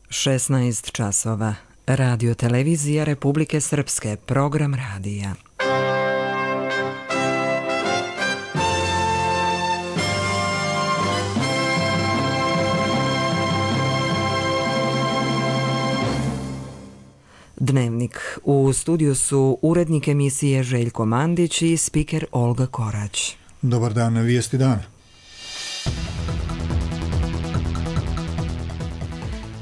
16 časova. Radio televizija Republike Srpske, program radija. Dnevnik. U studiju su urednik emisije Željko Mandić i spiker Olga Korać. Dobar dan, vijesti dana.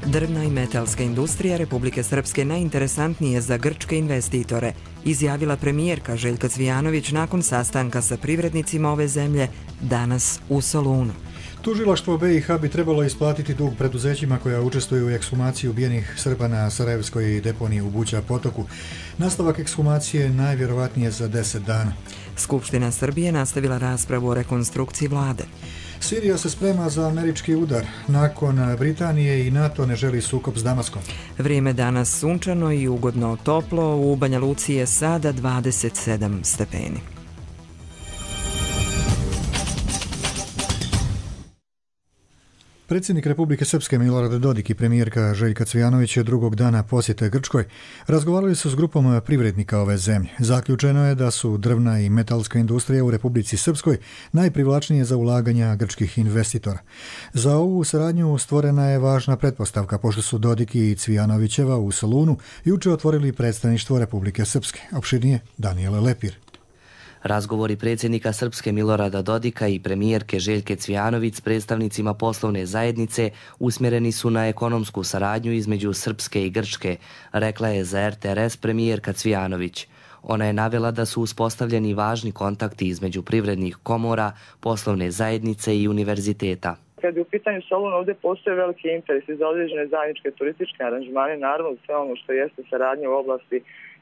Drvna i metalska industrija Republike Srpske najinteresantnije za grčke investitore, izjavila premijerka Željka Cvijanović nakon sastanka sa privrednicima ove zemlje danas u Solunu. Tužilaštvo BiH bi trebalo isplatiti dug preduzećima koja učestvuju u ekshumaciji ubijenih Srba na Sarajevskoj deponiji u Buća potoku. Nastavak ekshumacije najvjerovatnije za 10 dana. Skupština Srbije nastavila raspravu o rekonstrukciji vlade. Sirija se sprema za američki udar. Nakon Britanije i NATO ne želi sukob s Damaskom. Vrijeme danas sunčano i ugodno toplo. U Banja Luci je sada 27 stepeni. Predsjednik Republike Srpske Milorad Dodik i premijerka Željka Cvijanović drugog dana posjete Grčkoj razgovarali su s grupom privrednika ove zemlje. Zaključeno je da su drvna i metalska industrija u Republici Srpskoj najprivlačnije za ulaganja grčkih investitora. Za ovu saradnju stvorena je važna pretpostavka, pošto su Dodik i Cvijanovićeva u Solunu juče otvorili predstavništvo Republike Srpske. Opširnije Danijela Lepir. Razgovori predsjednika Srpske Milorada Dodika i premijerke Željke Cvijanović s predstavnicima poslovne zajednice usmjereni su na ekonomsku saradnju između Srpske i Grčke, rekla je za RTRS premijerka Cvijanović. Ona je navela da su uspostavljeni važni kontakti između privrednih komora, poslovne zajednice i univerziteta. Kad je u pitanju Soluna, ovdje postoje veliki interes za određene zajedničke turističke aranžmane, naravno sve ono što jeste saradnja u oblasti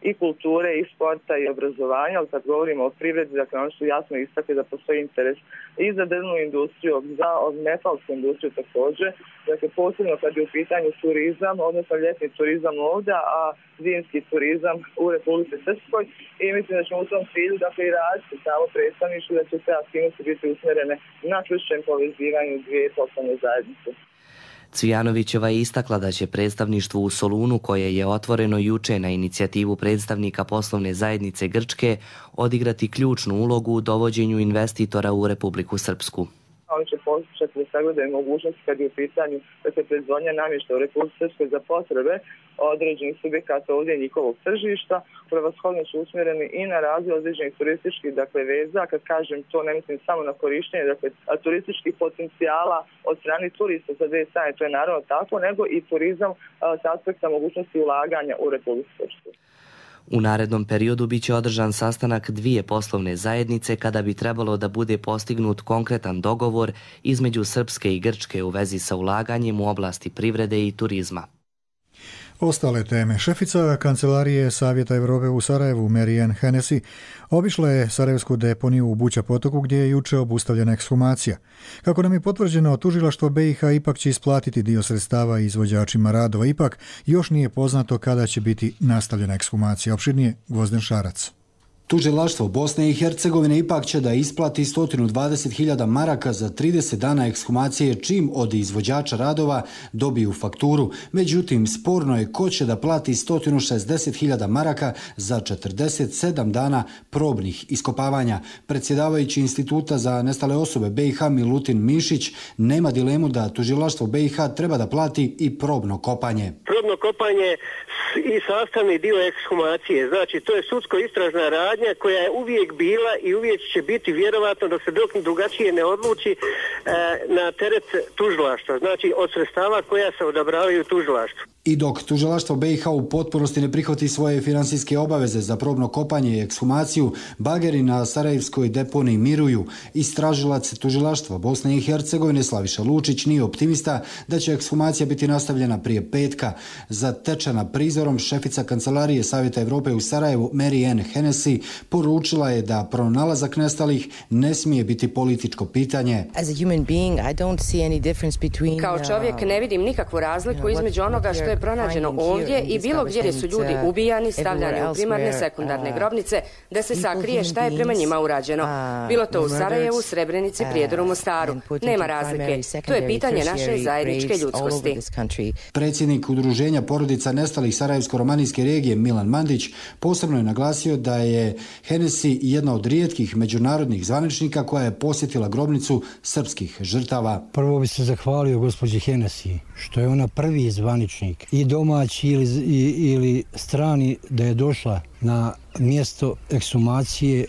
i kulture, i sporta, i obrazovanja, ali kad govorimo o privredi, dakle oni su jasno istakli da postoji interes i za drvnu industriju, za metalsku industriju također, dakle posebno kad je u pitanju turizam, odnosno ljetni turizam ovdje, a zimski turizam u Republici Srpskoj, i mislim da ćemo u tom cilju dakle i raditi samo predstavništvo, da će sve aktivnosti biti usmjerene na čvršćem povezivanju dvije poslovne zajednice. Cvijanovićeva je istakla da će predstavništvo u Solunu, koje je otvoreno juče na inicijativu predstavnika poslovne zajednice Grčke, odigrati ključnu ulogu u dovođenju investitora u Republiku Srpsku. Oni će pokušati da sagledaju mogućnosti kad je u pitanju proizvodnja namještaja u Republici Srpskoj za potrebe određenih subjekata ovdje njihovog tržišta. Prevashodno su usmjereni i na razvoj određenih turističkih veza. Kad kažem to, ne mislim samo na korištenje turističkih potencijala od strane turista za dvije strane, to je naravno tako, nego i turizam s aspekta mogućnosti ulaganja u Republiku Srpsku. U narednom periodu biće održan sastanak dvije poslovne zajednice kada bi trebalo da bude postignut konkretan dogovor između Srpske i Grčke u vezi sa ulaganjem u oblasti privrede i turizma. Ostale teme. Šefica Kancelarije Savjeta Evrope u Sarajevu, Marianne Hennessy, obišla je Sarajevsku deponiju u Buća potoku gdje je juče obustavljena ekshumacija. Kako nam je potvrđeno, tužilaštvo BiH ipak će isplatiti dio sredstava izvođačima radova. Ipak još nije poznato kada će biti nastavljena ekshumacija. Opširnije Gvozden Šarac. Tužilaštvo Bosne i Hercegovine ipak će da isplati 120.000 maraka za 30 dana ekshumacije čim od izvođača radova dobiju fakturu. Međutim, sporno je ko će da plati 160.000 maraka za 47 dana probnih iskopavanja. Predsjedavajući Instituta za nestale osobe BiH Milutin Mišić nema dilemu da tužilaštvo BiH treba da plati i probno kopanje. Probno kopanje i sastavni dio ekshumacije, znači to je sudsko istražna radnja koja je uvijek bila i uvijek će biti vjerovatno dok se drugačije ne odluči na teret tužilaštva, znači od sredstava koja se odabravaju tužilaštvu. I dok tužilaštvo BiH u potpunosti ne prihvati svoje finansijske obaveze za probno kopanje i ekshumaciju, bageri na Sarajevskoj deponiji miruju. Istražilac tužilaštva Bosne i Hercegovine Slaviša Lučić nije optimista da će ekshumacija biti nastavljena prije petka. Zatečena prizora aferom, šefica kancelarije Savjeta Europe u Sarajevu Mary Ann Hennessy poručila je da pronalazak nestalih ne smije biti političko pitanje. Kao čovjek ne vidim nikakvu razliku između onoga što je pronađeno ovdje i bilo gdje su ljudi ubijani, stavljani u primarne, sekundarne grobnice, da se sakrije šta je prema njima urađeno. Bilo to u Sarajevu, Srebrenici, Prijedoru, Mostaru. Nema razlike. To je pitanje naše zajedničke ljudskosti. Predsjednik Udruženja porodica nestalih Sarajevsko-romanijske regije Milan Mandić posebno je naglasio da je Hennessy jedna od rijetkih međunarodnih zvaničnika koja je posjetila grobnicu srpskih žrtava. Prvo bi se zahvalio gospođi Hennessy što je ona prvi zvaničnik i domaći ili strani da je došla na mjesto ekshumacije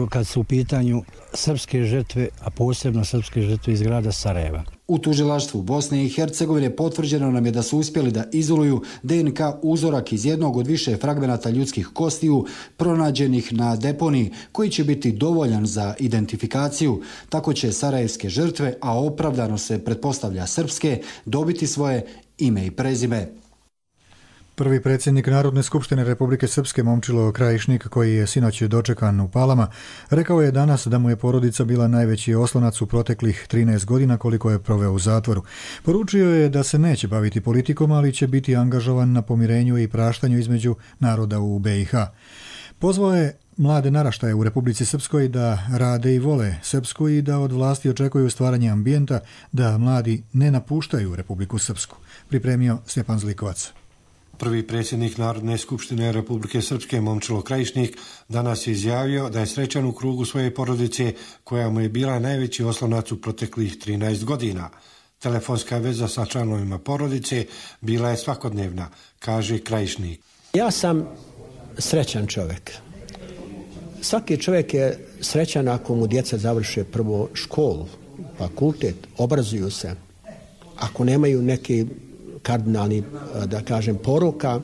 kad su u pitanju srpske žrtve, a posebno srpske žrtve iz grada Sarajeva. U tužilaštvu Bosne i Hercegovine potvrđeno nam je da su uspjeli da izoluju DNK uzorak iz jednog od više fragmenata ljudskih kostiju pronađenih na deponiji, koji će biti dovoljan za identifikaciju. Tako će sarajevske žrtve, a opravdano se pretpostavlja srpske, dobiti svoje ime i prezime. Prvi predsjednik Narodne skupštine Republike Srpske Momčilo Krajišnik, koji je sinoć dočekan u Palama, rekao je danas da mu je porodica bila najveći oslonac u proteklih 13 godina koliko je proveo u zatvoru. Poručio je da se neće baviti politikom, ali će biti angažovan na pomirenju i praštanju između naroda u BiH. Pozvao je mlade naraštaje u Republici Srpskoj da rade i vole Srpsku i da od vlasti očekuju stvaranje ambijenta da mladi ne napuštaju Republiku Srpsku. Pripremio Stjepan Zlikovac. Prvi predsjednik Narodne skupštine Republike Srpske Momčilo Krajišnik danas je izjavio da je srećan u krugu svoje porodice koja mu je bila najveći oslonac u proteklih 13 godina. Telefonska veza sa članovima porodice bila je svakodnevna, kaže Krajišnik. Ja sam srećan čovjek. Svaki čovjek je srećan ako mu djeca završe prvo školu, fakultet, obrazuju se. Ako nemaju neki kardinalni, da kažem, poruka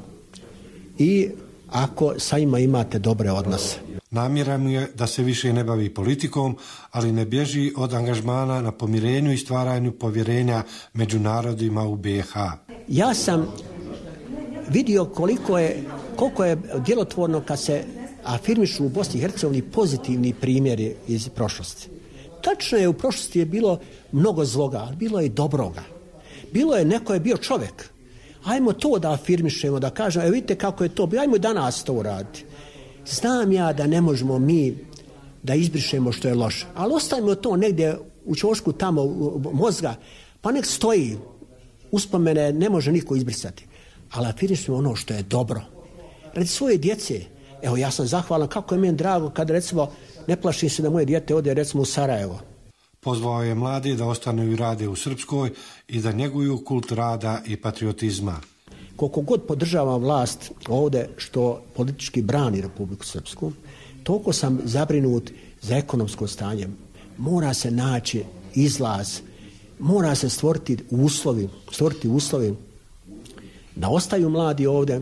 i ako sa njima imate dobre odnose. Namjera mu je da se više ne bavi politikom, ali ne bježi od angažmana na pomirenju i stvaranju povjerenja među narodima u BiH. Ja sam vidio koliko je djelotvorno kad se afirmišu u Bosni i Hercegovini pozitivni primjeri iz prošlosti. Tačno je, u prošlosti je bilo mnogo zloga, ali bilo je i dobroga. Bilo je, neko je bio čovjek. Ajmo to da afirmišemo, da kažemo, vidite kako je to bilo, ajmo danas to uraditi. Znam ja da ne možemo mi da izbrišemo što je loše, ali ostavimo to negdje u ćošku tamo mozga, pa nek stoji. Uspomene ne može niko izbrisati. Ali afirmišemo ono što je dobro. Radi svoje djece, evo ja sam zahvalan, kako je meni drago kada recimo ne plašim se da moje dijete ode recimo u Sarajevo. Pozvao je mladi da ostanu i rade u Srpskoj i da njeguju kult rada i patriotizma. Koliko god podržavam vlast ovdje što politički brani Republiku Srpsku, toliko sam zabrinut za ekonomsko stanje. Mora se naći izlaz, mora se stvoriti uslovi da ostaju mladi ovdje,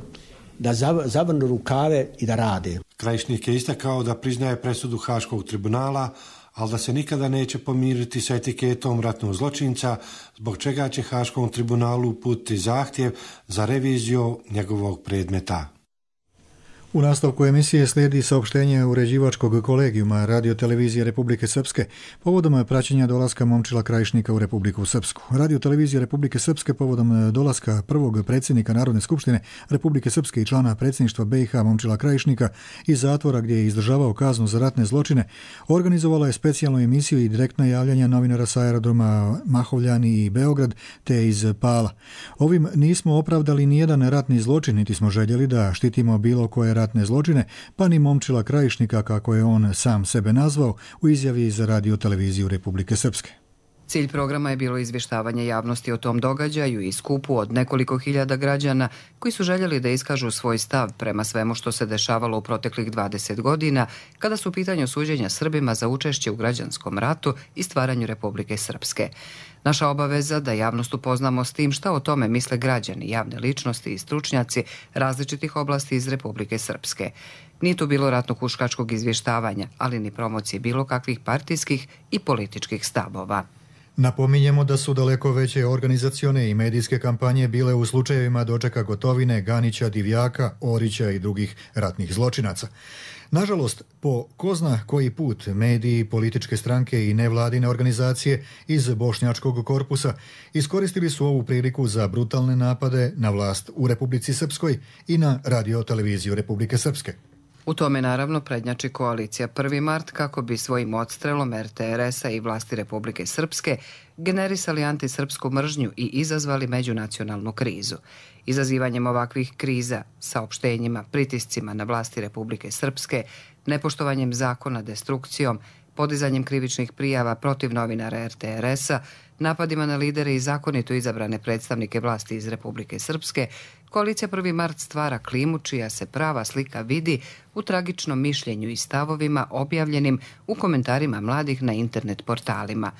da zavrnu rukave i da rade. Krajišnik je istakao da priznaje presudu Haškog tribunala, ali da se nikada neće pomiriti sa etiketom ratnog zločinca, zbog čega će Haškom tribunalu uputiti zahtjev za reviziju njegovog predmeta. U nastavku emisije slijedi saopštenje uređivačkog kolegijuma Radio-televizije Republike Srpske povodom praćenja dolaska Momčila Krajišnika u Republiku Srpsku. Radio-televizija Republike Srpske povodom dolaska prvog predsjednika Narodne skupštine Republike Srpske i člana predsjedništva BiH Momčila Krajišnika iz zatvora gdje je izdržavao kaznu za ratne zločine, organizovala je specijalnu emisiju i direktna javljanja novinara sa aerodroma Mahovljani i Beograd te iz Pala. Ovim nismo opravdali nijedan ratni zločin, niti smo željeli da štitimo bilo koje ratne zločine, pa ni Momčila Krajišnika, kako je on sam sebe nazvao u izjavi za Radio-televiziju Republike Srpske. Cilj programa je bilo izvještavanje javnosti o tom događaju i skupu od nekoliko hiljada građana koji su željeli da iskažu svoj stav prema svemu što se dešavalo u proteklih 20 godina kada su u pitanju suđenja Srbima za učešće u građanskom ratu i stvaranju Republike Srpske. Naša obaveza da javnost upoznamo s tim šta o tome misle građani, javne ličnosti i stručnjaci različitih oblasti iz Republike Srpske. Nije tu bilo ratno-huškačkog izvještavanja, ali ni promocije bilo kakvih partijskih i političkih stavova. Napominjemo da su daleko veće organizacione i medijske kampanje bile u slučajevima dočeka Gotovine, Ganića, Divjaka, Orića i drugih ratnih zločinaca. Nažalost, po ko zna koji put mediji, političke stranke i nevladine organizacije iz bošnjačkog korpusa iskoristili su ovu priliku za brutalne napade na vlast u Republici Srpskoj i na radio-televiziju Republike Srpske. U tome naravno prednjači koalicija 1. mart kako bi svojim odstrelom RTRS-a i vlasti Republike Srpske generisali antisrpsku mržnju i izazvali međunacionalnu krizu. Izazivanjem ovakvih kriza, saopštenjima, pritiscima na vlasti Republike Srpske, nepoštovanjem zakona, destrukcijom, podizanjem krivičnih prijava protiv novinara RTRS-a, napadima na lidere i zakonito izabrane predstavnike vlasti iz Republike Srpske, koalicija 1. mart stvara klimu čija se prava slika vidi u tragičnom mišljenju i stavovima objavljenim u komentarima mladih na internet portalima.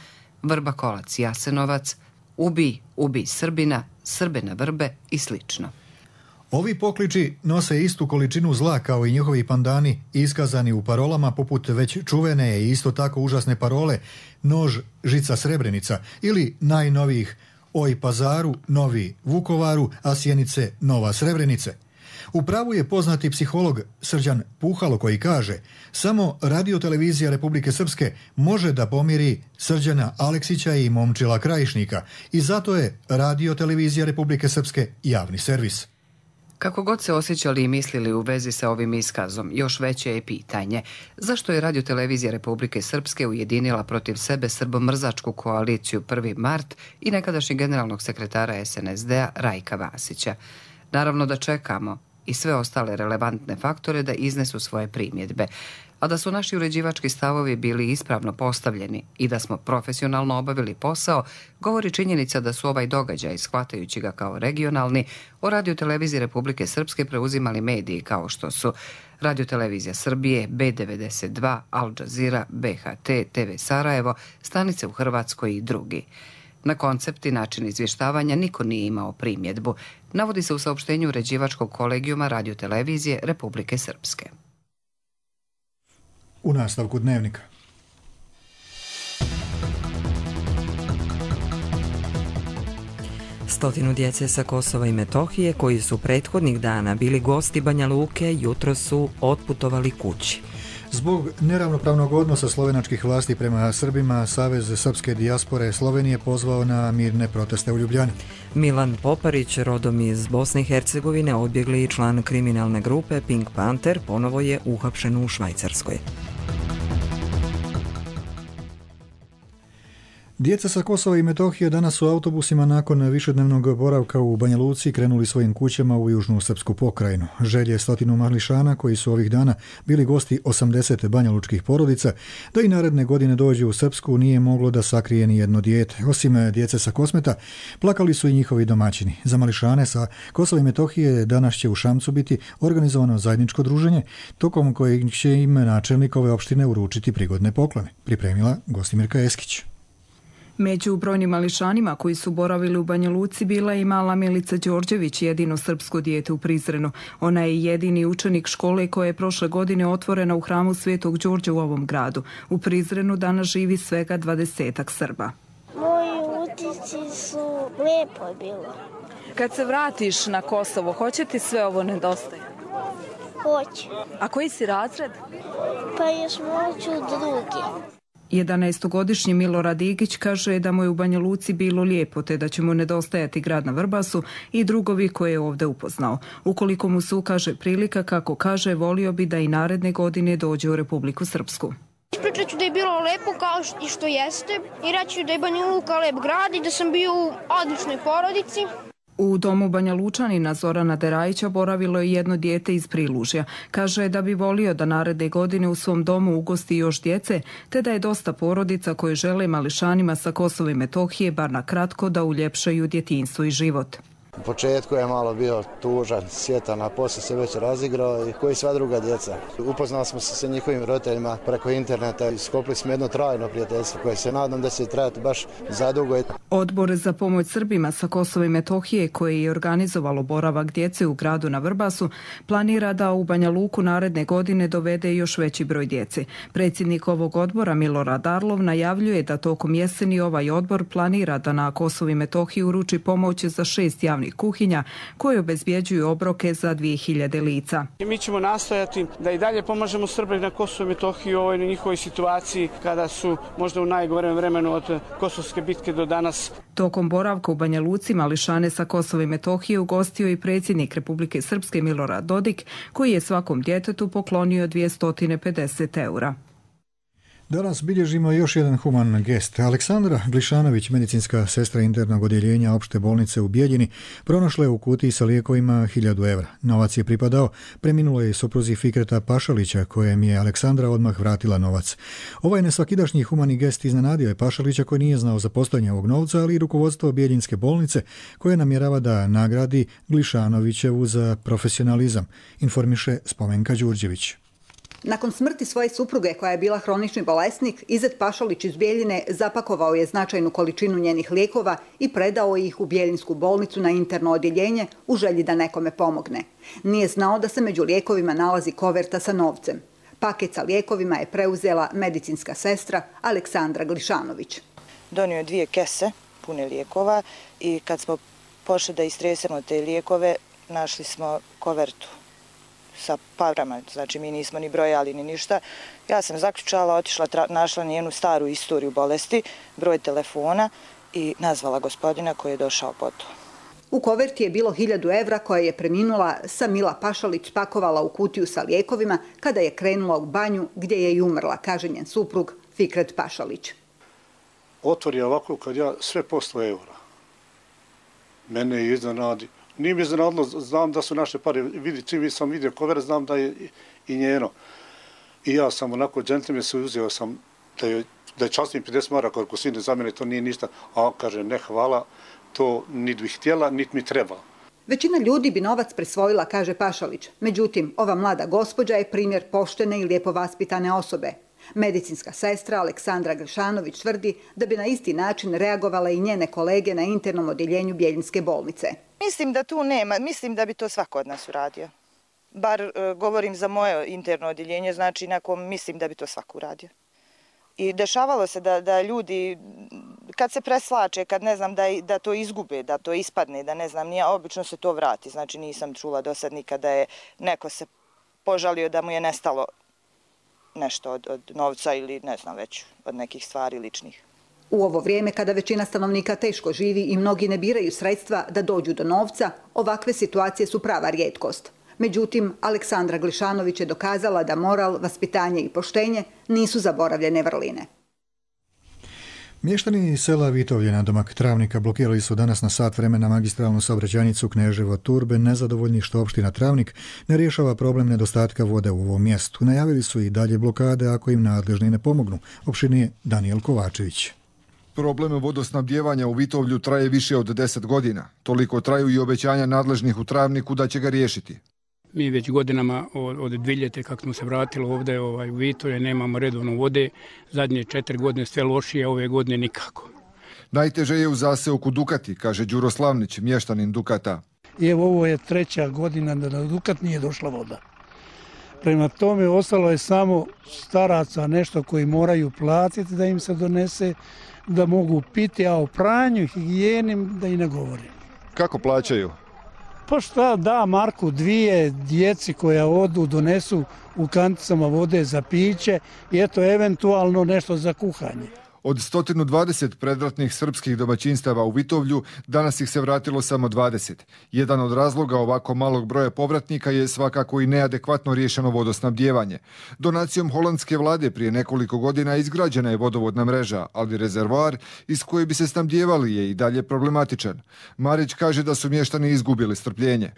Vrba Kolac, Jasenovac, ubij Srbina, Srbe na vrbe i slično. Ovi pokliči nose istu količinu zla kao i njihovi pandani iskazani u parolama poput već čuvene i isto tako užasne parole Nož, žica, Srebrenica ili najnovijih Oj Pazaru, novi Vukovaru, a Sjenice, nova Srebrenice. U pravu je poznati psiholog Srđan Puhalo koji kaže samo radio-televizija Republike Srpske može da pomiri Srđana Aleksića i Momčila Krajišnika i zato je radio-televizija Republike Srpske javni servis. Kako god se osjećali i mislili u vezi sa ovim iskazom, još veće je pitanje zašto je Radio-televizija Republike Srpske ujedinila protiv sebe srbomrzačku koaliciju 1. mart i nekadašnjeg generalnog sekretara SNSD-a Rajka Vasića. Naravno da čekamo i sve ostale relevantne faktore da iznesu svoje primjedbe, a da su naši uređivački stavovi bili ispravno postavljeni i da smo profesionalno obavili posao, govori činjenica da su ovaj događaj, shvatajući ga kao regionalni, o Radio-televiziji Republike Srpske preuzimali mediji kao što su Radio-televizija Srbije, B92, Al Jazeera, BHT, TV Sarajevo, stanice u Hrvatskoj i drugi. Na koncept i način izvještavanja niko nije imao primjedbu, navodi se u saopštenju uređivačkog kolegijuma Radio-televizije Republike Srpske. U nastavku dnevnika. Stotinu djece sa Kosova i Metohije koji su prethodnih dana bili gosti Banja Luke jutro su otputovali kući. Zbog neravnopravnog odnosa slovenačkih vlasti prema Srbima, Savez srpske dijaspore Slovenije pozvao na mirne proteste u Ljubljani. Milan Poparić, rodom iz Bosne i Hercegovine, odbjegli član kriminalne grupe Pink Panther, ponovo je uhapšen u Švajcarskoj. Djeca sa Kosova i Metohije danas su autobusima nakon višednevnog boravka u Banja Luci krenuli svojim kućama u južnu srpsku pokrajinu. Želje 100 mališana koji su ovih dana bili gosti 80 banjalučkih porodica da i naredne godine dođu u Srpsku nije moglo da sakrije ni jedno dijete. Osim djece sa Kosmeta, plakali su i njihovi domaćini. Za mališane sa Kosova i Metohije danas će u Šamcu biti organizovano zajedničko druženje, tokom kojeg će im načelnik ove opštine uručiti prigodne poklone, pripremila Gostimirka Eskić. Među brojnim mališanima koji su boravili u Banja Luci bila je i mala Milica Đorđević, jedino srpsko dijete u Prizrenu. Ona je jedini učenik škole koja je prošle godine otvorena u hramu Svetog Đorđa u ovom gradu. U Prizrenu danas živi svega 20-ak Srba. Moji utisci su lijepo je bilo. Kad se vratiš na Kosovo, hoće ti sve ovo nedostaje? Hoće. A koji si razred? Pa još moću drugi. 11-godišnji Milorad Igić kaže da mu je u Banja Luci bilo lijepo, te da će mu nedostajati grad na Vrbasu i drugovi koje je ovdje upoznao. Ukoliko mu se ukaže prilika, kako kaže, volio bi da i naredne godine dođe u Republiku Srpsku. Ispričat ću da je bilo lepo kao što jeste i reći da je Banja Luka lep grad i da sam bio u odličnoj porodici. U domu Banja Lučanina Zorana Derajića boravilo je jedno dijete iz Prilužja. Kaže da bi volio da naredne godine u svom domu ugosti još djece, te da je dosta porodica koje žele mališanima sa Kosova i Metohije bar na kratko da uljepšaju djetinjstvo i život. U početku je malo bio tužan, sjetan, a poslije se već razigrao i koji sva druga djeca. Upoznali smo se sa njihovim roditeljima preko interneta i sklopili smo jedno trajno prijateljstvo koje se nadam da će trajati baš zadugo. Odbor za pomoć Srbima sa Kosova i Metohije, koje je organizovalo boravak djece u gradu na Vrbasu, planira da u Banja Luku naredne godine dovede još veći broj djece. Predsjednik ovog odbora Milorad Arlov najavljuje da tokom jeseni ovaj odbor planira da na Kosovu i Metohiji uruči pomoć za 6 javnih kuhinja koje obezbjeđuju obroke za 2000 lica. Mi ćemo nastojati da i dalje pomažemo Srbima na Kosovu i Metohiji u ovoj njihovoj situaciji kada su možda u najgorem vremenu od Kosovske bitke do danas. Tokom boravka u Banja Luci mališane sa Kosova i Metohije ugostio i predsjednik Republike Srpske Milorad Dodik, koji je svakom djetetu poklonio 250 eura. Danas bilježimo još jedan human gest. Aleksandra Glišanović, medicinska sestra internog odjeljenja opšte bolnice u Bijeljini, pronašla je u kutiji sa lijekovima 1000 evra. Novac je pripadao preminuloj supruzi Fikreta Pašalića, kojem je Aleksandra odmah vratila novac. Ovaj nesvakidašnji humani gest iznenadio je Pašalića, koji nije znao za postojanje ovog novca, ali i rukovodstvo Bijeljinske bolnice, koje namjerava da nagradi Glišanovićevu za profesionalizam, informiše Spomenka Đurđević. Nakon smrti svoje supruge, koja je bila hronični bolesnik, Izet Pašalić iz Bijeljine zapakovao je značajnu količinu njenih lijekova i predao ih u Bijeljinsku bolnicu na interno odjeljenje u želji da nekome pomogne. Nije znao da se među lijekovima nalazi koverta sa novcem. Paket sa lijekovima je preuzela medicinska sestra Aleksandra Glišanović. Donio je 2 kese pune lijekova i kad smo pošli da istresemo te lijekove, našli smo kovertu sa parama, znači mi nismo ni brojali ni ništa. Ja sam zaključala, otišla, našla njenu staru istoriju bolesti, broj telefona i nazvala gospodina koji je došao po to. U koverti je bilo 1000 evra koje je preminula Samila Pašalić pakovala u kutiju sa lijekovima kada je krenula u banju gdje je i umrla, kaže njen suprug Fikret Pašalić. Otvori ovako kad ja sve po 100 evra. Mene je iznenadi. Nije mi iznenadilo, znam da su naše pare, čim sam vidio kovert, znam da je i njeno. I ja sam onako džentlmen se uzeo sam da je časnim 50 maraka, ako sine za mene to nije ništa, a kaže ne hvala, to niti bih htjela, niti mi treba. Većina ljudi bi novac prisvojila, kaže Pašalić. Međutim, ova mlada gospođa je primjer poštene i lijepo vaspitane osobe. Medicinska sestra Aleksandra Glišanović tvrdi da bi na isti način reagovala i njene kolege na internom odjeljenju Bijeljinske bolnice. Mislim da tu nema, mislim da bi to svako od nas uradio. Bar govorim za moje interno odjeljenje, znači mislim da bi to svako uradio. I dešavalo se da ljudi, kad se preslače, kad ne znam da to izgube, da to ispadne, da ne znam, obično se to vrati. Znači nisam čula do sad nikada da je neko se požalio da mu je nestalo nešto od novca ili ne znam već od nekih stvari ličnih. U ovo vrijeme kada većina stanovnika teško živi i mnogi ne biraju sredstva da dođu do novca, ovakve situacije su prava rijetkost. Međutim, Aleksandra Glišanović je dokazala da moral, vaspitanje i poštenje nisu zaboravljene vrline. Mještani sela Vitovlje na domak Travnika blokirali su danas na sat vremena magistralnu saobraćajnicu Kneževo-Turbe, nezadovoljni što opština Travnik ne rješava problem nedostatka vode u ovom mjestu. Najavili su i dalje blokade ako im nadležni ne pomognu, opštinije Danijel Kovačević. Problem vodosnabdijevanja u Vitovlju traje više od 10 godina. Toliko traju i obećanja nadležnih u Travniku da će ga riješiti. Mi već godinama od 2000 kako smo se vratili ovdje u Vitovlje nemamo redovno vode. Zadnje 4 godine sve lošije, ove godine nikako. Najteže je u zaseoku Dukati, kaže Đuro Slavnić, mještanin Dukata. I evo ovo je 3. godina da na Dukat nije došla voda. Prema tome ostalo je samo staraca nešto koji moraju platiti da im se donese, da mogu piti, a o pranju, higijeni da i ne govorim. Kako plaćaju? Pa šta, da marku 2 djeci koja odu, donesu u kanticama vode za piće i eto eventualno nešto za kuhanje. Od 120 predratnih srpskih domaćinstava u Vitovlju, danas ih se vratilo samo 20. Jedan od razloga ovako malog broja povratnika je svakako i neadekvatno riješeno vodosnabdijevanje. Donacijom holandske vlade prije nekoliko godina izgrađena je vodovodna mreža, ali rezervoar iz koje bi se snabdijevali je i dalje problematičan. Marić kaže da su mještani izgubili strpljenje.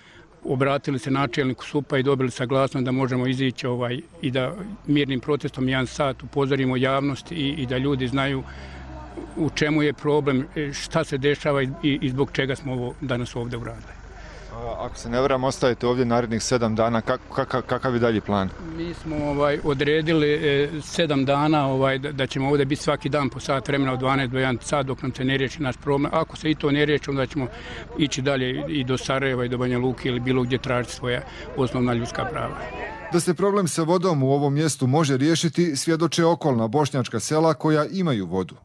Obratili se načelniku SUP-a i dobili saglasnost da možemo izići i da mirnim protestom 1 sat upozorimo javnost i da ljudi znaju u čemu je problem, šta se dešava i zbog čega smo ovo danas ovdje uradili. Ako se ne varam, ostavite ovdje narednih 7 dana, kakav je dalji plan? Mi smo odredili 7 dana da ćemo ovdje biti svaki dan po sat vremena od 12 do 1 sat dok nam se ne riješi naš problem. Ako se i to ne riješi, onda ćemo ići dalje i do Sarajeva i do Banja Luke ili bilo gdje tražiti svoja osnovna ljudska prava. Da se problem sa vodom u ovom mjestu može riješiti, svjedoče okolna bošnjačka sela koja imaju vodu.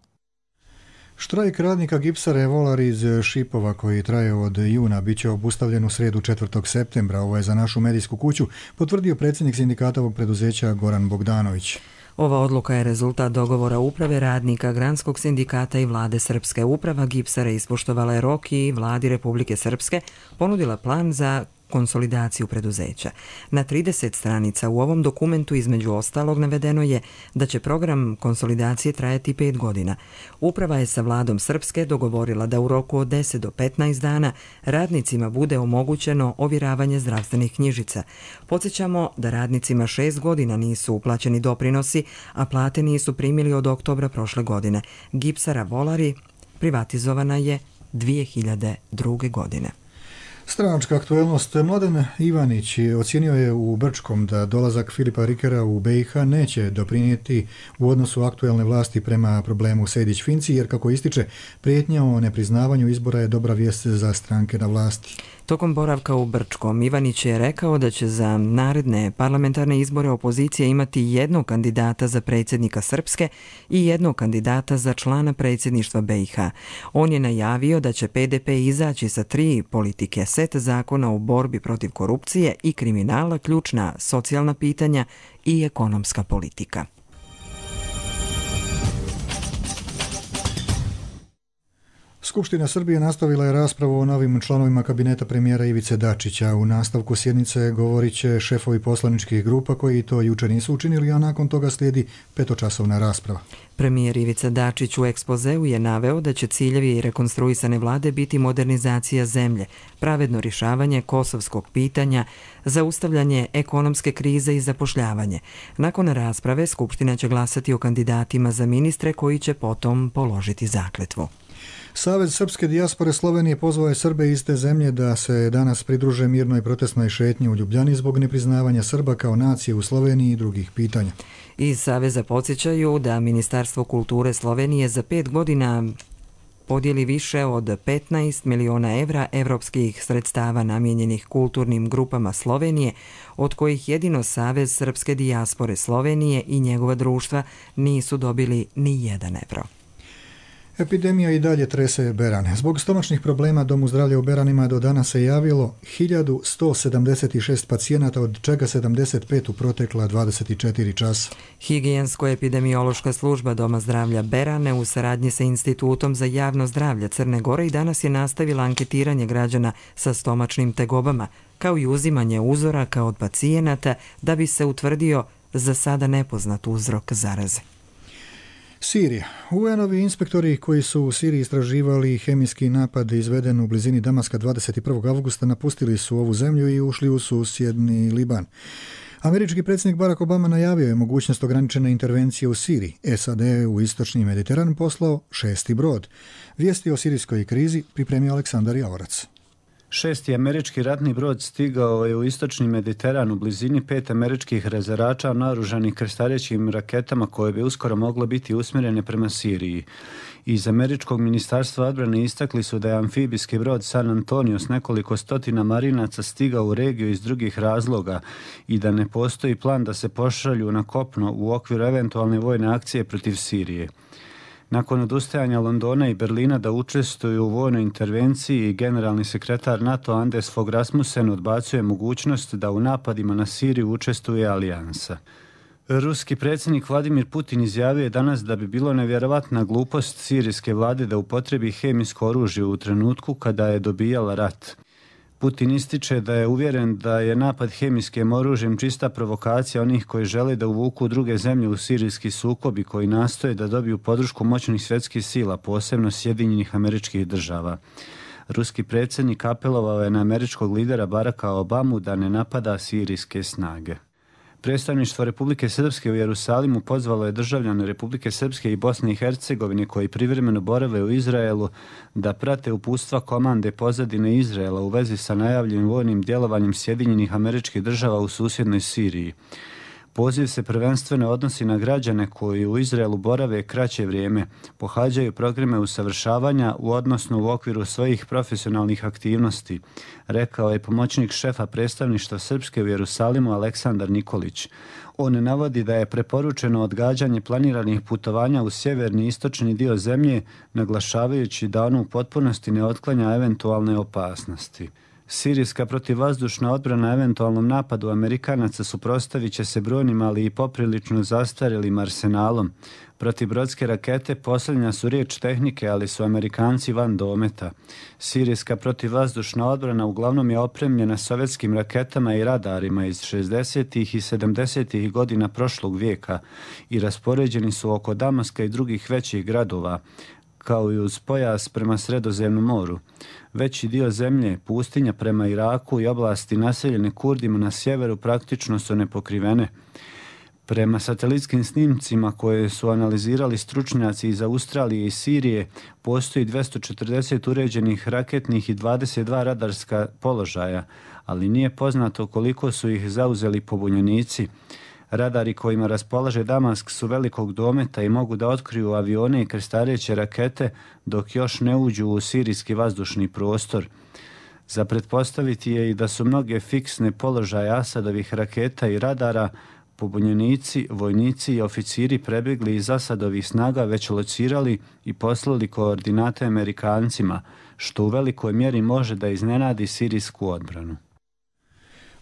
Štrajk radnika gipsare Volar iz Šipova koji traje od juna bit će obustavljen u srijedu 4. septembra. Ovo je za našu medijsku kuću potvrdio predsjednik sindikata ovog preduzeća Goran Bogdanović. Ova odluka je rezultat dogovora uprave radnika Granskog sindikata i vlade Srpske. Uprava gipsare ispoštovala je rok i vladi Republike Srpske ponudila plan za konsolidaciju preduzeća. Na 30 stranica u ovom dokumentu između ostalog navedeno je da će program konsolidacije trajati 5 godina. Uprava je sa vladom Srpske dogovorila da u roku od 10 do 15 dana radnicima bude omogućeno ovjeravanje zdravstvenih knjižica. Podsjećamo da radnicima 6 godina nisu uplaćeni doprinosi, a plate nisu primili od oktobra prošle godine. Gipsara Volari privatizovana je 2002. godine. Stranačka aktuelnost. Mladen Ivanić ocijenio je u Brčkom da dolazak Filipa Rikera u BiH neće doprinijeti u odnosu aktuelne vlasti prema problemu Sejdić-Finci, jer kako ističe, prijetnja o nepriznavanju izbora je dobra vijest za stranke na vlasti. Tokom boravka u Brčkom, Ivanić je rekao da će za naredne parlamentarne izbore opozicija imati jednog kandidata za predsjednika Srpske i jednog kandidata za člana predsjedništva BiH. On je najavio da će PDP izaći sa 3 politike, set zakona u borbi protiv korupcije i kriminala, ključna socijalna pitanja i ekonomska politika. Skupština Srbije nastavila je raspravu o novim članovima kabineta premijera Ivice Dačića. U nastavku sjednice govorit će šefovi poslaničkih grupa koji to jučer nisu učinili, a nakon toga slijedi 5-časovna rasprava. Premijer Ivica Dačić u ekspozeu je naveo da će ciljevi rekonstruisane vlade biti modernizacija zemlje, pravedno rješavanje kosovskog pitanja, zaustavljanje ekonomske krize i zapošljavanje. Nakon rasprave Skupština će glasati o kandidatima za ministre koji će potom položiti zakletvu. Savez srpske dijaspore Slovenije pozvao je Srbe iz te zemlje da se danas pridruže mirnoj protestnoj šetnji u Ljubljani zbog nepriznavanja Srba kao nacije u Sloveniji i drugih pitanja. Iz Saveza podsjećaju da Ministarstvo kulture Slovenije za 5 godina podijeli više od 15 miliona evra evropskih sredstava namijenjenih kulturnim grupama Slovenije, od kojih jedino Savez srpske dijaspore Slovenije i njegova društva nisu dobili ni 1 evro. Epidemija i dalje trese Beran. Zbog stomačnih problema Domu zdravlja u Beranima do danas se javilo 1176 pacijenata, od čega 75 u protekla 24 časa. Higijensko-epidemiološka služba Doma zdravlja Berane u saradnji sa Institutom za javno zdravlje Crne Gore i danas je nastavila anketiranje građana sa stomačnim tegobama, kao i uzimanje uzoraka od pacijenata da bi se utvrdio za sada nepoznat uzrok zaraze. Sirija. UN-ovi inspektori koji su u Siriji istraživali hemijski napad izveden u blizini Damaska 21. avgusta napustili su ovu zemlju i ušli u susjedni Liban. Američki predsjednik Barack Obama najavio je mogućnost ograničene intervencije u Siriji. SAD u istočni Mediteran poslao 6. brod. Vijesti o sirijskoj krizi pripremio Aleksandar Javorac. 6. američki ratni brod stigao je u istočni Mediteran u blizini 5 američkih rezerača naoružanih krstarećim raketama koje bi uskoro mogle biti usmjerene prema Siriji. Iz američkog ministarstva odbrane istakli su da je amfibijski brod San Antonio s nekoliko stotina marinaca stigao u regiju iz drugih razloga i da ne postoji plan da se pošalju na kopno u okviru eventualne vojne akcije protiv Sirije. Nakon odustajanja Londona i Berlina da učestvuju u vojnoj intervenciji, generalni sekretar NATO Anders Fogh Rasmussen odbacuje mogućnost da u napadima na Siriju učestvuje alijansa. Ruski predsjednik Vladimir Putin izjavio je danas da bi bilo nevjerovatna glupost sirijske vlade da upotrebi hemijsko oružje u trenutku kada je dobijala rat. Putin ističe da je uvjeren da je napad hemijskim oružjem čista provokacija onih koji žele da uvuku druge zemlje u sirijski sukob i koji nastoje da dobiju podršku moćnih svjetskih sila, posebno Sjedinjenih Američkih Država. Ruski predsjednik apelovao je na američkog lidera Baracka Obamu da ne napada sirijske snage. Predstavništvo Republike Srpske u Jerusalimu pozvalo je državljane Republike Srpske i Bosne i Hercegovine koji privremeno borave u Izraelu da prate uputstva komande pozadine Izraela u vezi sa najavljenim vojnim djelovanjem Sjedinjenih Američkih Država u susjednoj Siriji. Poziv se prvenstveno odnosi na građane koji u Izraelu borave kraće vrijeme, pohađaju programe usavršavanja odnosno u okviru svojih profesionalnih aktivnosti, rekao je pomoćnik šefa predstavništva Srpske u Jerusalimu Aleksandar Nikolić. On navodi da je preporučeno odgađanje planiranih putovanja u sjeverni i istočni dio zemlje, naglašavajući da ono u potpunosti ne otklanja eventualne opasnosti. Sirijska protivvazdušna odbrana eventualnom napadu Amerikanaca suprotstavit će se brojnim, ali i poprilično zastarjelim arsenalom. Protibrodske rakete posljednja su riječ tehnike, ali su Amerikanci van dometa. Sirijska protivvazdušna odbrana uglavnom je opremljena sovjetskim raketama i radarima iz 60. i 70. godina prošlog vijeka i raspoređeni su oko Damaska i drugih većih gradova, kao i uz pojas prema Sredozemnom moru. Veći dio zemlje, pustinja prema Iraku i oblasti naseljene Kurdima na sjeveru praktično su nepokrivene. Prema satelitskim snimcima koje su analizirali stručnjaci iz Australije i Sirije, postoji 240 uređenih raketnih i 22 radarska položaja, ali nije poznato koliko su ih zauzeli pobunjenici. Radari kojima raspolaže Damask su velikog dometa i mogu da otkriju avione i krstareće rakete dok još ne uđu u sirijski vazdušni prostor. Za pretpostaviti je i da su mnoge fiksne položaje Asadovih raketa i radara pobunjenici, vojnici i oficiri prebjegli iz Asadovih snaga već locirali i poslali koordinate Amerikancima, što u velikoj mjeri može da iznenadi sirijsku odbranu.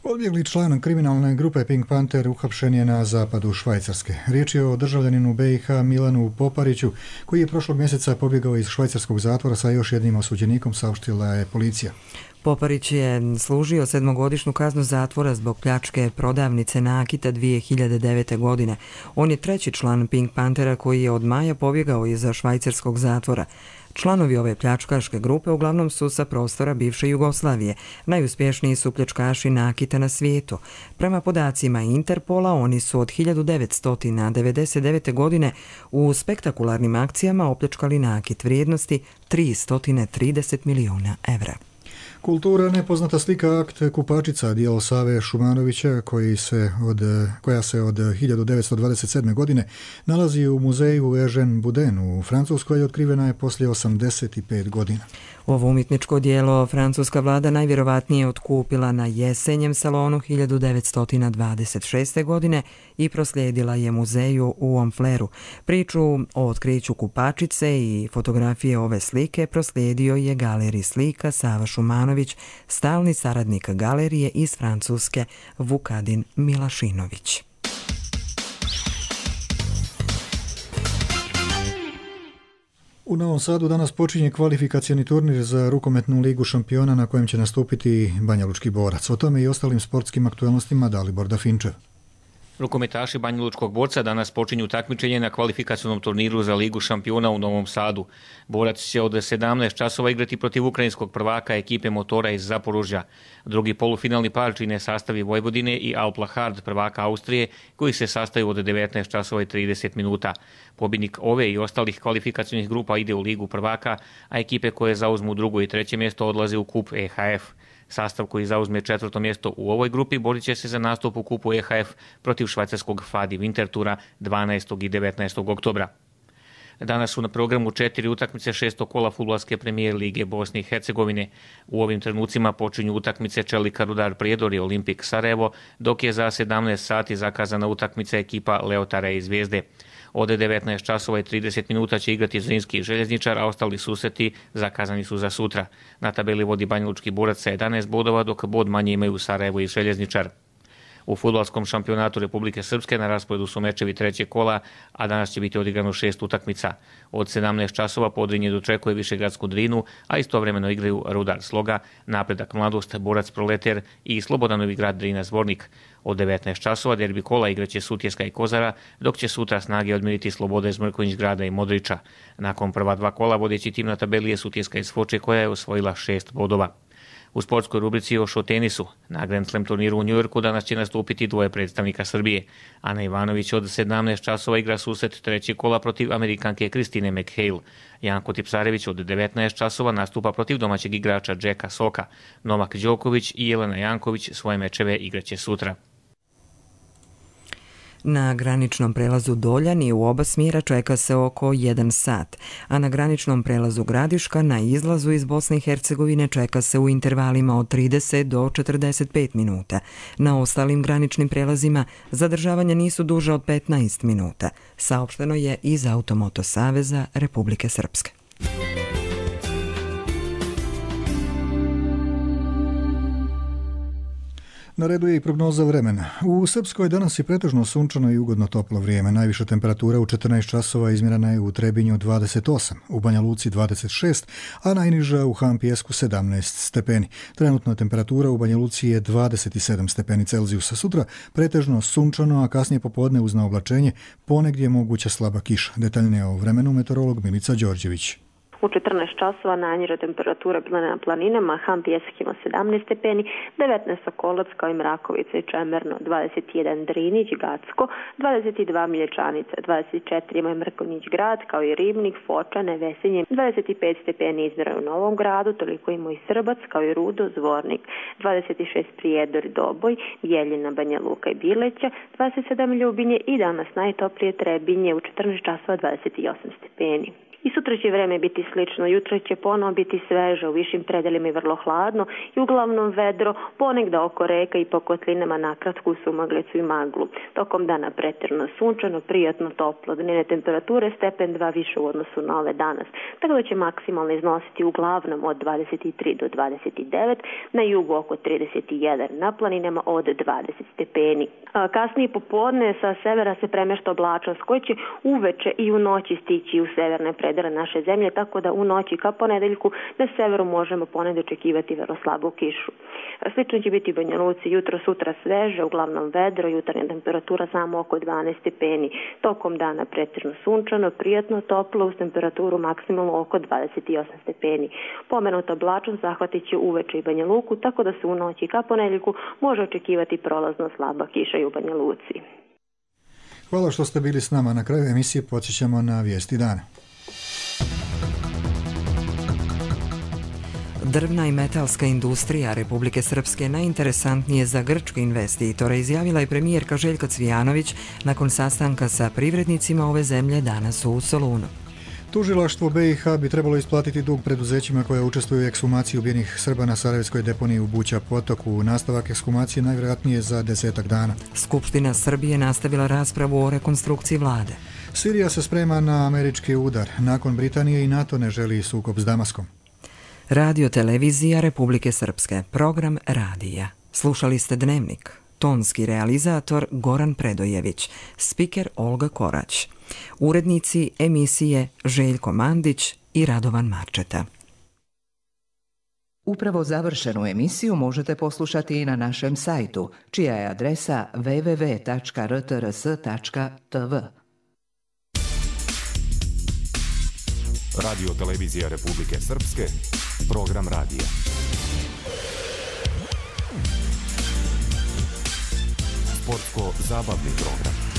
Odbjegli član kriminalne grupe Pink Panther uhapšen je na zapadu Švajcarske. Riječ je o državljaninu BiH Milanu Popariću, koji je prošlog mjeseca pobjegao iz švajcarskog zatvora sa još jednim osuđenikom, saopštila je policija. Poparić je služio 7-godišnju kaznu zatvora zbog pljačke prodavnice nakita 2009. godine. On je treći član Pink Panthera koji je od maja pobjegao iz švajcarskog zatvora. Članovi ove pljačkaške grupe uglavnom su sa prostora bivše Jugoslavije. Najuspješniji su pljačkaši nakita na svijetu. Prema podacima Interpola, oni su od 1999. godine u spektakularnim akcijama opljačkali nakit vrijednosti 330 milijuna evra. Kultura nepoznata slika akt Kupačica, djelo Save Šumanovića koja se od 1927. godine nalazi u muzeju Eugene Boudin u Francuskoj i otkrivena je poslije 85 godina. Ovo umjetničko djelo francuska vlada najvjerovatnije otkupila na jesenjem salonu 1926. godine i proslijedila je muzeju u Honfleru. Priču o otkriću Kupačice i fotografije ove slike proslijedio je galerij slika Sava Šumanović, stalni saradnik galerije iz Francuske Vukadin Milašinović. U Novom Sadu danas počinje kvalifikacioni turnir za rukometnu ligu šampiona na kojem će nastupiti Banjalučki Borac. O tome i ostalim sportskim aktualnostima Dalibor Dafinčev. Rukometaši Banjalučkog Borca danas počinju takmičenje na kvalifikacionom turniru za Ligu šampiona u Novom Sadu. Borac će od 17 časova igrati protiv ukrajinskog prvaka ekipe Motora iz Zaporužja. Drugi polufinalni par čine sastavi Vojvodine i Alplahard prvaka Austrije, koji se sastaju od 19 časova i 30 minuta. Pobjednik ove i ostalih kvalifikacionih grupa ide u Ligu prvaka, a ekipe koje zauzmu drugo i treće mjesto odlaze u kup EHF. Sastav koji zauzme četvrto mjesto u ovoj grupi borit će se za nastup u kupu EHF protiv švajcarskog Fadi Wintertura 12. i 19. oktobra. Danas su na programu 4 utakmice 6. kola fudbalske premijer lige Bosne i Hercegovine. U ovim trenucima počinju utakmice Čelika Rudar Prijedor i Olimpik Sarajevo, dok je za 17 sati zakazana utakmica ekipa Leotara i Zvijezde. Od 19 časova i 30 minuta će igrati Zrinski i Željezničar, a ostali susreti zakazani su za sutra. Na tabeli vodi Banjalučki Borac sa 11 bodova, dok bod manje imaju Sarajevo i Željezničar. U fudbalskom šampionatu Republike Srpske na rasporedu su mečevi trećeg kola, a danas će biti odigrano 6 utakmica. Od 17 časova Podrinje dočekuje Višegradsku Drinu, a istovremeno igraju Rudar Sloga, Napredak Mladost, Borac Proleter i Slobodanovi grad Drina Zvornik. Od 19 časova derbi kola igraće Sutjeska i Kozara, dok će sutra snage odmiriti Slobode iz Mrkonjić grada i Modrića. Nakon prva dva kola vodeći tim na tabeli je Sutjeska iz Foče koja je osvojila 6 bodova. U sportskoj rubrici još o tenisu. Na Grand Slam turniru u Njujorku danas će nastupiti dvoje predstavnika Srbije. Ana Ivanović od 17 časova igra susret trećeg kola protiv Amerikanke Kristine McHale. Janko Tipsarević od 19 časova nastupa protiv domaćeg igrača Jacka Soka. Novak Đoković i Jelena Janković svoje mečeve igraće sutra. Na graničnom prelazu Doljani u oba smjera čeka se oko 1 sat, a na graničnom prelazu Gradiška na izlazu iz Bosne i Hercegovine čeka se u intervalima od 30 do 45 minuta. Na ostalim graničnim prelazima zadržavanja nisu duže od 15 minuta, saopšteno je iz Automoto Saveza Republike Srpske. Na redu je i prognoza vremena. U Srpskoj danas je pretežno sunčano i ugodno toplo vrijeme. Najviša temperatura u 14 časova izmjerena je u Trebinju 28, u Banja Luci 26, a najniža u Hampijesku 17 stepeni. Trenutna temperatura u Banja Luci je 27 stepeni Celzijusa. Sutra pretežno sunčano, a kasnije popodne uz naoblačenje ponegdje moguća slaba kiša. Detaljnije o vremenu meteorolog Milica Đorđević. U 14 časova najniža temperatura bila na planinama, Ham Pjesak ima 17 stepeni, 19 Sokolac kao i Mrakovica i Čemerno, 21 Drinić, Gacko, 22 Milječanica, 24 ima Mrkonjić grad kao i Ribnik, Foča, Nevesinje, 25 stepeni izmjera u Novom gradu, toliko ima i Srbac kao i Rudo, Zvornik, 26 Prijedor i Doboj, Bjeljina, Banja Luka i Bileća, 27 Ljubinje i danas najtoplije Trebinje u 14 časova 28 stepeni. I sutra će vreme biti slično, jutro će ponovo biti sveže, u višim predelima i vrlo hladno i uglavnom vedro, ponegda oko reka i po kotlinama nakratko u sumaglicu i maglu. Tokom dana pretjerano sunčano, prijatno toplo, dnevne temperature stepen 2 više u odnosu na ove danas, tako da će maksimalno iznositi uglavnom od 23 do 29, na jugu oko 31, na planinama od 20 stepeni. Kasnije popodne sa severa se premešta oblačnost koji će uveče i u noći stići u severne predele naše zemlje, tako da u noći ka ponedeljku na severu možemo ponegdje očekivati vrlo slabu kišu. Slično će biti u Banja Luci, jutro sutra sveže, uglavnom vedro, jutarnja temperatura samo oko 12 stepeni. Tokom dana pretjerano sunčano, prijatno toplo uz temperaturu maksimalno oko 28 stepeni. Pomenuta oblačnost zahvatit će uveče i Banja Luku, tako da se u noći ka ponedeljku može očekivati prolazno slaba kiša i u Banja Luci. Hvala što ste bili s nama. Na kraju emisije podsjećamo na vijesti dana. Drvna i metalska industrija Republike Srpske najinteresantnije za grčke investitore, izjavila je premijerka Željka Cvijanović nakon sastanka sa privrednicima ove zemlje danas u Solunu. Tužilaštvo BiH bi trebalo isplatiti dug preduzećima koja učestvuju u ekshumaciji ubijenih Srba na Sarajevskoj deponiji u Buća potoku. Nastavak ekshumacije najvjerojatnije za 10 dana. Skupština Srbije nastavila raspravu o rekonstrukciji vlade. Sirija se sprema na američki udar. Nakon Britanije i NATO ne želi sukob s Damaskom. Radio televizija Republike Srpske, program radija. Slušali ste Dnevnik. Tonski realizator Goran Predojević, spiker Olga Korać. Urednici emisije Željko Mandić i Radovan Marčeta. Upravo završenu emisiju možete poslušati i na našem sajtu, čija je adresa www.rtrs.tv. Radio televizija Republike Srpske, program radija. Sportsko-zabavni program.